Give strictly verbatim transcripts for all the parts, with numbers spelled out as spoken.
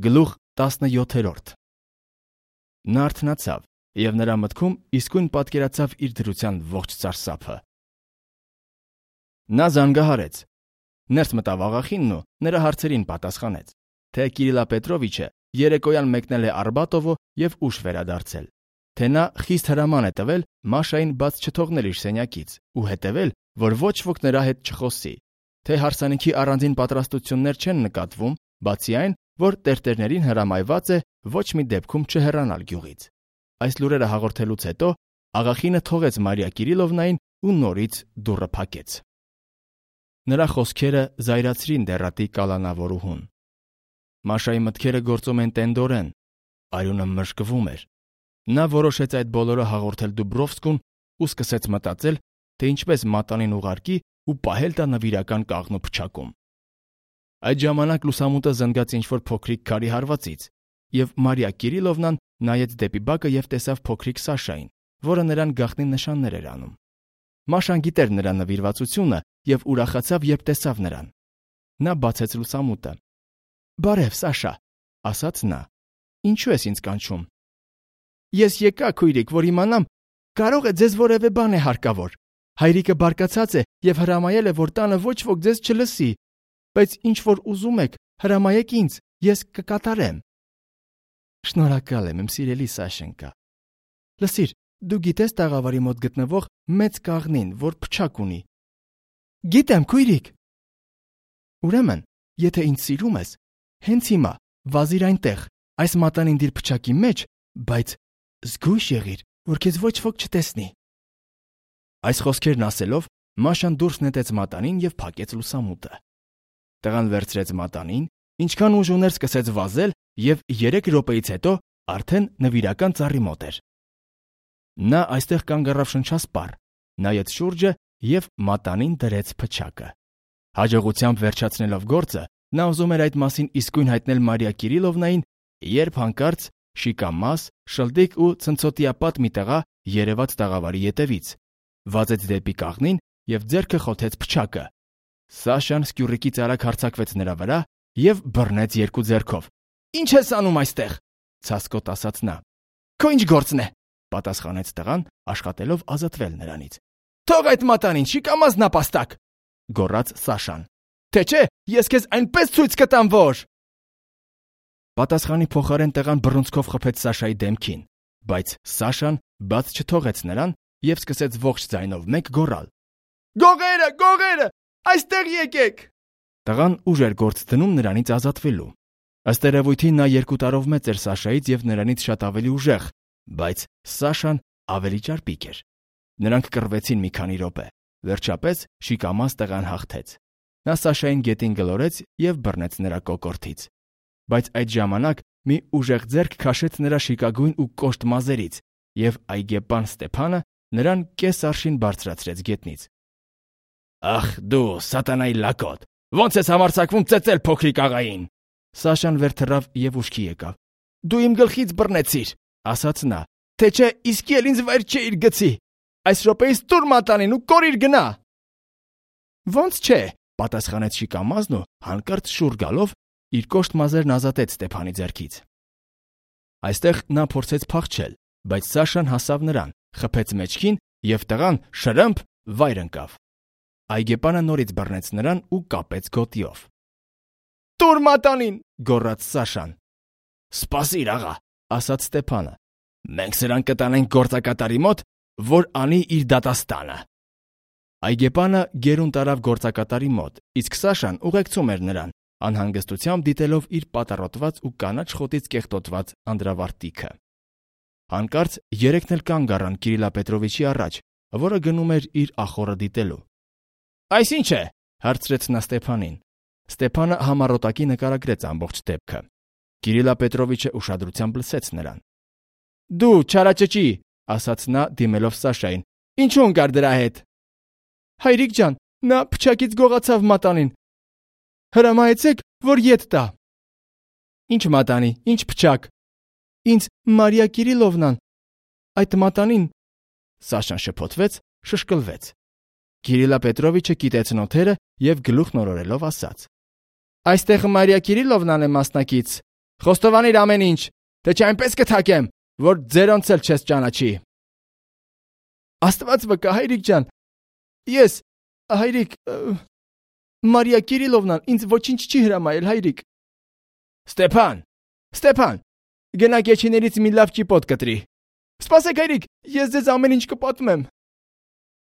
Գլուխ տասնյոթերորդ Նա արթնացավ, և նրա մտքում իսկույն պատկերացավ իր դրության ողջ սարսափը։ Նա զանգահարեց։ Ներս մտավ աղախինն ու նրա հարցերին պատասխանեց, թե Կիրիլա Պետրովիչը երեկոյան մեկնել է Արբատովո և ուշ վերադարձել, թե նա խիստ հրաման է տվել Մաշային բաց չթողնել իր սենյակից ու հետևել, որ ոչ ոք նրա հետ չխոսի, թե հարսանիքի առանձին պատրաստություններ չեն նկատվում, բացի այն, որ տերտերներին հրամայված է ոչ մի դեպքում չհեռանալ գյուղից։ Այս լուրերը հաղորդելուց հետո աղախինը թողեց Մարիա Կիրիլովնային ու նորից դուռը փակեց։ Նրա խոսքերը զայրացրին դեռատի կալանավորուհուն։ Մաշայի մտքերը գործում են տենդորեն, արյունը մրշկվում էր։ Նա որոշեց այդ բոլորը հաղորդել Դուբրովսկուն ու սկսեց մտածել, թե ինչպես մատանին ուղարկի ու պահել տա նվիրական կաղնու փչակում։ Այդ ժամանակ լուսամուտը զնգաց ինչ-որ փոքրիկ քարի հարվածից, և Մարիա Կիրիլովնան նայեց դեպի բակը և տեսավ փոքրիկ Սաշային, որը նրան գաղտնի նշաններ էր անում։ Մաշան գիտեր նրա նվիրվածությունը և ուրախացավ, երբ տեսավ նրան։ Նա բացեց լուսամուտը։ «Բարև, Սաշա», ասաց նա։ «Ինչու ես ինձ կանչում»։ «Ես եկա, քույրիկ, որ իմանամ, կարող է ձեզ որևէ բան է հարկավոր։ Հայրիկը բարկացած է և հրամայել է, որ տանը ոչ ոք ձեզ չլսի, բայց ինչ որ ուզում եք, հրամայեք ինձ, ես կկատարեմ»։ «Շնորհակալ եմ, իմ սիրելի Սաշենկա։ Լսիր, դու գիտես տաղավարի մոտ գտնվող մեծ կաղնին, որ փչակ ունի»։ «Գիտեմ, քույրիկ»։ «Ուրեմն, եթե ինձ սիրում ես, հենց հիմա վազիր այնտեղ, այս մատանին դիր փչակի մեջ, բայց զգույշ եղիր, որ քեզ ոչ ոք չտեսնի»։ Այս խոսքերն ասելով, Մաշան դուրս նետեց մատանին և փակեց լուսամուտը։ Տղան վերցրեց մատանին, ինչքան ուժ ուներ սկսեց վազել և երեք րոպեից հետո արդեն նվիրական ծառի մոտ էր։ Նա այստեղ կանգ առավ շնչասպառ, նայեց շուրջը և մատանին դրեց փչակը։ Հաջողությամբ վերջացնելով գործը, նա ուզում էր այդ մասին իսկույն հայտնել Մարիա Կիրիլովնային, երբ հանկարծ շիկամաս, շլդիկ ու ցնցոտիապատ մի տղա երևաց տաղավարի ետևից, վազեց դեպի կաղնին և ձեռքը խոթեց փչակը։ Սաշան սկյուռիկից արագ հարձակվեց նրա վրա և բռնեց երկու ձեռքով։ «Ինչ ես անում այստեղ»։ ցասկոտ ասաց նա։ «Քո ինչ գործն է», պատասխանեց տղան, աշխատելով ազատվել նրանից։ «Թող այդ մատանին, շիկամաս նապաստակ», գոռաց Սաշան։ «Թե չէ, ես քեզ այնպես ցույց կտամ, որ…» Պատասխանի փոխարեն տղան բռունցքով խփեց Սաշայի դեմքին, բայց Սաշան բաց չթողեց նրան և սկսեց ողջ ձայնով մեկ գոռալ. «Գողերը, գողերը, այստեղ եկեք»։ Տղան ուժ էր գործ դնում նրանից ազատվելու։ Ըստ երևույթի նա երկու տարով մեծ էր Սաշայից և նրանից շատ ավելի ուժեղ, բայց Սաշան ավելի ճարպիկ էր։ Նրանք կռվեցին մի քանի րոպե։ Վերջապես շիկամաս տղան հաղթեց։ Նա Սաշային գետին գլորեց և բռնեց նրա կոկորդից։ Բայց այդ ժամանակ մի ուժեղ ձեռք քաշեց նրա շիկագույն ու կոշտ մազերից, և այգեպան Ստեփանը նրան կես արշին բարձրացրեց գետնից։ «Ախ դու, սատանայի լակոտ, ո՞նց ես համարձակվում ծեծել փոքրիկ աղային»։ Սաշան վեր թռավ և ուշքի եկավ։ «Դու իմ գլխից բռնեցիր», ասաց նա, «թե չէ իսկի էլ ինձ վայր չէիր գցի։ Այս րոպեից տուր մատանին ու կորիր գնա»։ «Ոնց չէ», պատասխանեց շիկամազն ու հանկարծ շուռ գալով իր կոշտ մազերն ազատեց Ստեփանի ձեռքից։ Այստեղ նա փորձեց փախչել, բայց Սաշան հասավ նրան, խփեց մեջքին և տղան շրըմփ վայր ընկավ։ Այգեպանը նորից բռնեց նրան ու կապեց գոտիով։ «Տուր մատանին», գոռաց Սաշան։ «Սպասիր, աղա», ասաց Ստեփանը։ «Մենք սրան կտանենք գործակատարի մոտ, որ անի իր դատաստանը»։ Այգեպանը գերուն տարավ գործակատարի մոտ, իսկ Սաշան ուղեկցում էր նրան, անհանգստությամբ դիտելով իր պատառոտված ու կանաչ խոտից կեղտոտված անդրավարտիքը։ Հանկարծ երեքն էլ կանգ առան Կիրիլա Պետրովիչի առաջ, որը գնում էր իր ախոռը դիտելու։ «Այս ի՞նչ է», հարցրեց նա Ստեփանին։ Ստեփանը համառոտակի նկարագրեց ամբողջ դեպքը։ Կիրիլա Պետրովիչը ուշադրությամբ լսեց նրան։ «Դու չարաճճի», ասաց նա դիմելով Սաշային, «ինչու ընկար դրա հետ»։ «Հայրիկ ջան, նա փչակից գողացավ մատանին։ Հրամայեցեք, որ ետ տա»։ «Ինչ մատանի, ինչ փչակ»։ «Ինձ Մարիա Կիրիլովնան, այդ մատանին»։ Սաշան շփոթվեց, շշկլվեց։ Կիրիլա Պետրովիչը կիտեց նոթերը և գլուխ նորորելով ասաց. «Այստեղ Մարիա Կիրիլովնան է մասնակից, Խոստովանիր ամեն ինչ, թե չէ այնպես կթակեմ, որ ձերոնց էլ չես ճանաչի։ Աստված վկա, հայրիկ ջան, ես, հայրիկ, Մարիա Կիրիլովնան ինձ ոչինչ չի հրամայել, հայրիկ։ Ստեփան, Ստեփան, գնա կեչիներից մի լավ ճիպոտ կտրի։ Սպասեք, հայրիկ, ես ձեզ ամեն ինչ կպատմեմ։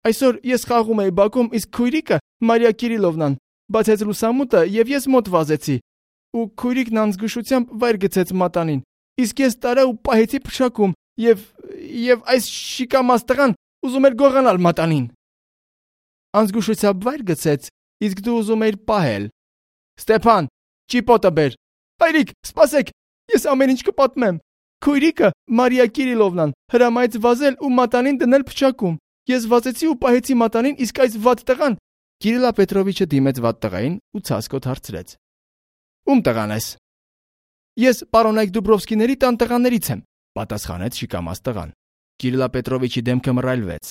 Այսօր ես խաղում էի բակում, իսկ քույրիկը Մարիա Կիրիլովնան բացեց լուսամուտը եւ ես մոտ վազեցի։ Ու քույրիկն անզգուշությամբ վայր գցեց մատանին։ Իսկ ես տարա ու պահեցի փշակում եւ եւ այս շիկամաս տղան ուզում էր գողանալ մատանին։ Անզգուշությամբ վայր գցեց, իսկ դու ուզում էիր պահել։ Ստեփան, ճիպոտը բեր։ Հայրիկ, սպասեք, ես ամեն ինչ կպատմեմ։ Քույրիկը Մարիա Կիրիլովնան հրամայեց վազել ու մատանին դնել փչակում։ Ես վազեցի ու պահեցի մատանին, իսկ այս վատ տղան Կիրիլա Պետրովիչը դիմեց վատ տղային ու ցածկոտ հարցրեց. Ում տղան ես։ Ես պարոնայք Դուբրովսկիների տան տղաներից եմ, պատասխանեց շիկամաս տղան։ Կիրիլա Պետրովիչի դեմքը մռայլվեց։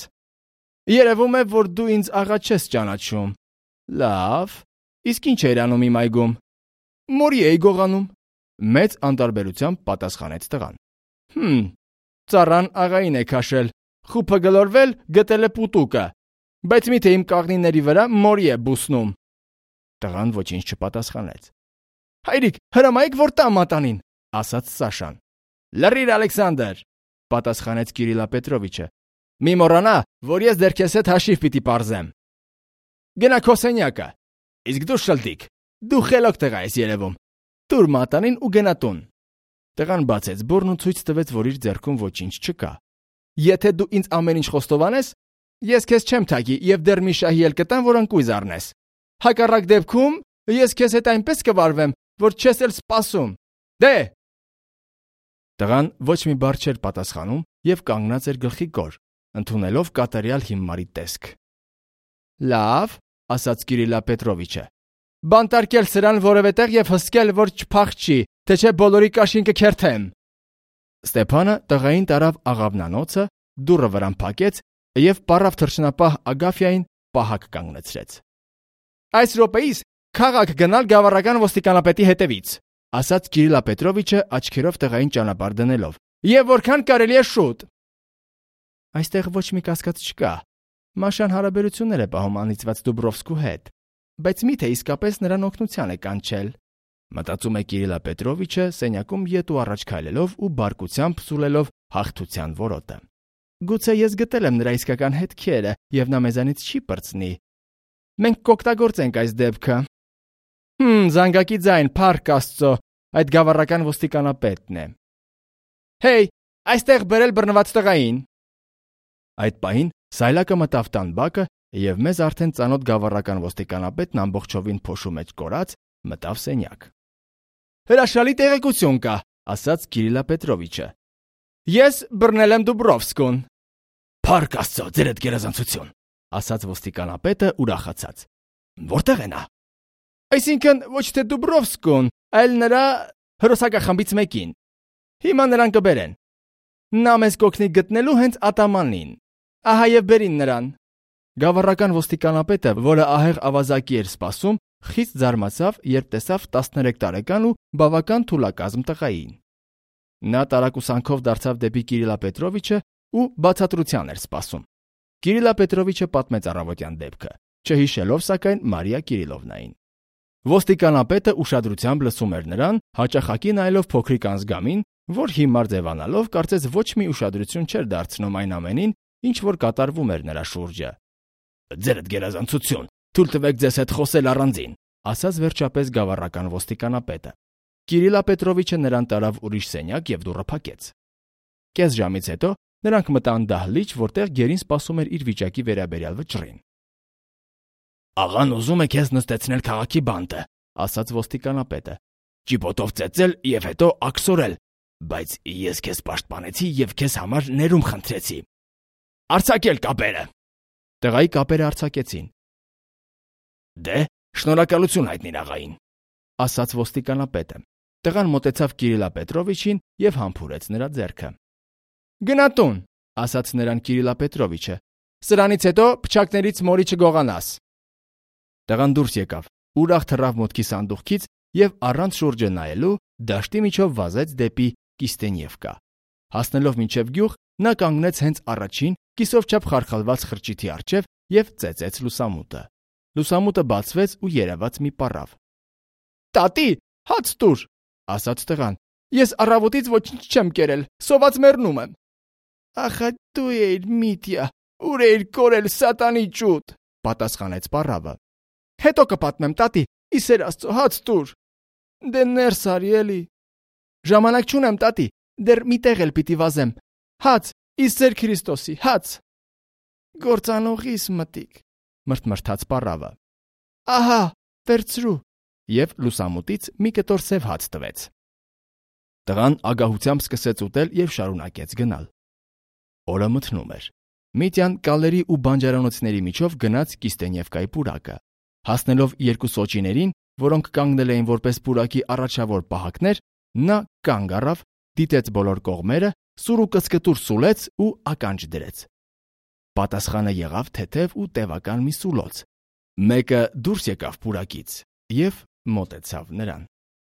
Երևում է, որ դու ինձ աղա չես ճանաչում։ Լավ, իսկ ինչ էր անում իմ այգում։ Մորի էի գողանում։ Մեծ անտարբերությամբ պատասխանեց տղան։ Հմ, ծառան աղային է քաշել, խուփը գլորվել, գտել է պուտուկը, բայց միթե իմ կաղնիների վրա մորի է բուսնում։ Տղան ոչինչ չպատասխանեց։ Հայրիկ, հրամայեք որ տա մատանին, ասաց Սաշան։ Լռիր, Ալեքսանդր, պատասխանեց Կիրիլա Պետրովիչը։ Մի մոռանա, որ ես դեռ քեզ հետ հաշիվ պիտի պարզեմ։ Գնա քո սենյակը։ Իսկ դու շլտիկ, դու խելոք տղա ես երևում։ Տուր մատանին ու գնա տուն։ Տղան բացեց բուրն ու ցույց տվեց, որ իր ձեռքում ոչինչ չկա։ Եթե դու ինձ ամեն ինչ խոստովանես, ես քեզ չեմ թագի եւ դեռ մի շահի էլ կտամ, որ ընկույզ առնես։ Հակառակ դեպքում ես քեզ հետ այնպես կվարվեմ, որ չես էլ սպասում։ Դե։ Տղան ոչ մի բառ չէր պատասխանում եւ կանգնած էր գլխի կոր, ընդունելով կատարյալ հիմարի տեսք։ Լավ, ասաց Կիրիլա Պետրովիչը։ Բանտարկել սրան որևէ տեղ եւ հսկել, որ չփախչի, թե չէ բոլորի կաշին կքերթեմ։ Ստեփանը տղային տարավ աղավնանոցը, դուռը վրան փակեց եւ պարավ թռչնապահ Ագաֆիային պահակ կանգնեցրեց։ Այս րոպեից քաղաք գնալ գավառական ոստիկանապետի հետևից, ասաց Կիրիլա Պետրովիչը աչքերով տղային ճանապարհ դնելով։ Եվ որքան կարելի է շուտ։ Այստեղ ոչ մի կասկած չկա։ Մաշան հարաբերություններ է պահում անիծված Դուբրովսկու հետ, բայց միթե իսկապես նրան օգնության է կանչել։ Մտածում է Կիրիլա Պետրովիչը սենյակում ետ ու առաջ քայլելով ու բարկությամբ սուլելով հաղթության որոտը։ Գուցե ես գտել եմ նրա իսկական հետքերը եւ նա մեզանից չի պրծնի։ Մենք կօգտագործենք այս դեպքը։ Հմ, զանգակի ձայն, փառք Աստծո, այդ գավառական ոստիկանապետն է։ Հեյ, այստեղ բերել բռնված տղային։ Այդ պահին Սայլակը մտավ տան բակը եւ մեզ արդեն ծանոթ գավառական ոստիկանապետն ամբողջովին փոշու մեջ կորած մտավ սենյակ։ Հրաշալի տեղեկություն կա, ասաց Կիրիլա Պետրովիչը։ Ես բռնել եմ Դուբրովսկուն։ Փառք Աստծո, ձերդ գերազանցություն, ասաց ոստիկանապետը ուրախացած։ Որտեղ է նա։ Այսինքն ոչ թե Դուբրովսկուն, այլ նրա հրոսակախմբից մեկին։ Հիմա նրան կբերեն։ Նա մեզ կօգնի գտնելու հենց ատամանին։ Ահա եւ բերին նրան։ Գավառական ոստիկանապետը, որը ահեղ ավազակի էր սպասում, խիստ զարմացավ, երբ տեսավ տասներեք տարեկան ու բավական թուլակազմ տղային։ Նա տարակուսանքով դարձավ դեպի Կիրիլա Պետրովիչը ու բացատրության էր սպասում։ Կիրիլա Պետրովիչը պատմեց առավոտյան դեպքը, չհիշելով սակայն Մարիա Կիրիլովնային։ Ոստիկանապետը ուշադրությամբ լսում էր նրան, հաճախակի նայելով փոքրիկ անզգամին, որ հիմար ձևանալով կարծես ոչ մի ուշադրություն չէր դարձնում այն ամենին, ինչ որ կատարվում էր նրա շուրջը։ Ձերդ գերազանցություն, թույլ տվեք ձեզ հետ խոսել առանձին, ասաց վերջապես գավառական ոստիկանապետը։ Կիրիլա Պետրովիչը նրան տարավ ուրիշ սենյակ եւ դուռը փակեց։ Կես ժամից հետո նրանք մտան դահլիճ, որտեղ գերին սպասում էր իր վիճակի վերաբերյալ վճռին։ Աղան ուզում է քեզ նստեցնել քաղաքի բանտը, ասաց ոստիկանապետը։ Ճիպոտով ծեծել եւ հետո աքսորել, բայց ես քեզ պաշտպանեցի եւ քեզ համար ներում խնդրեցի։ Արցակել կապերը։ Տղայի կապերը արցակեցին։ Դե, շնորհակալություն հայտնիր աղային, ասաց ոստիկանապետը։ Տղան մոտեցավ Կիրիլա Պետրովիչին եւ համբուրեց նրա ձեռքը։ Գնա տուն, ասաց նրան Կիրիլա Պետրովիչը։ Սրանից հետո փչակներից մորի չգողանաս։ Տղան դուրս եկավ, ուրախ թռավ մոտքի սանդուղքից եւ առանց շուրջը նայելու դաշտի միջով վազեց դեպի Կիստենիևկա։ Հասնելով մինչև գյուղ, նա կանգնեց հենց առաջին կիսով չափ խարխալված խրճիթի առջև և ծեծեց լուսամուտը։ Լուսամուտը բացվեց ու երևաց մի պառավ։ «Տատի, հաց տուր», ասաց տղան։ «Ես առավոտից ոչինչ չեմ կերել, սոված մեռնում եմ»։ «Ախա դու էիր Միտյա, ուր էիր կորել, սատանի ճուտ», պատասխանեց պառավը։ «Հետո կպատմեմ, տատի, ի սեր Աստծո, հաց տուր»։ «Դե ներս արի էլի»։ «Ժամանակ չունեմ, տատի, դեռ մի տեղ էլ պիտի վազեմ։ Հաց, ի սեր Քրիստոսի, հաց»։ «Գործանողիս մտիկ», մրթմրթաց պառավը։ «Ահա, վերցրու», և լուսամուտից մի կտոր սև հաց տվեց։ Տղան ագահությամբ սկսեց ուտել և շարունակեց գնալ։ Օրը մթնում էր։ Միտյան կալերի ու բանջարանոցների միջով գնաց Կիստենիևկայի պուրակը։ Հասնելով երկու սոճիներին, որոնք կանգնել էին որպես պուրակի առաջավոր պահակներ, նա կանգ առավ, դիտեց բոլոր կողմերը, սուր ու կծկտուր սուլեց ու ականջ դրեց։ Պատասխանը եղավ թեթև ու տևական մի սուլոց։ Մեկը դուրս եկավ պուրակից և մոտեցավ նրան։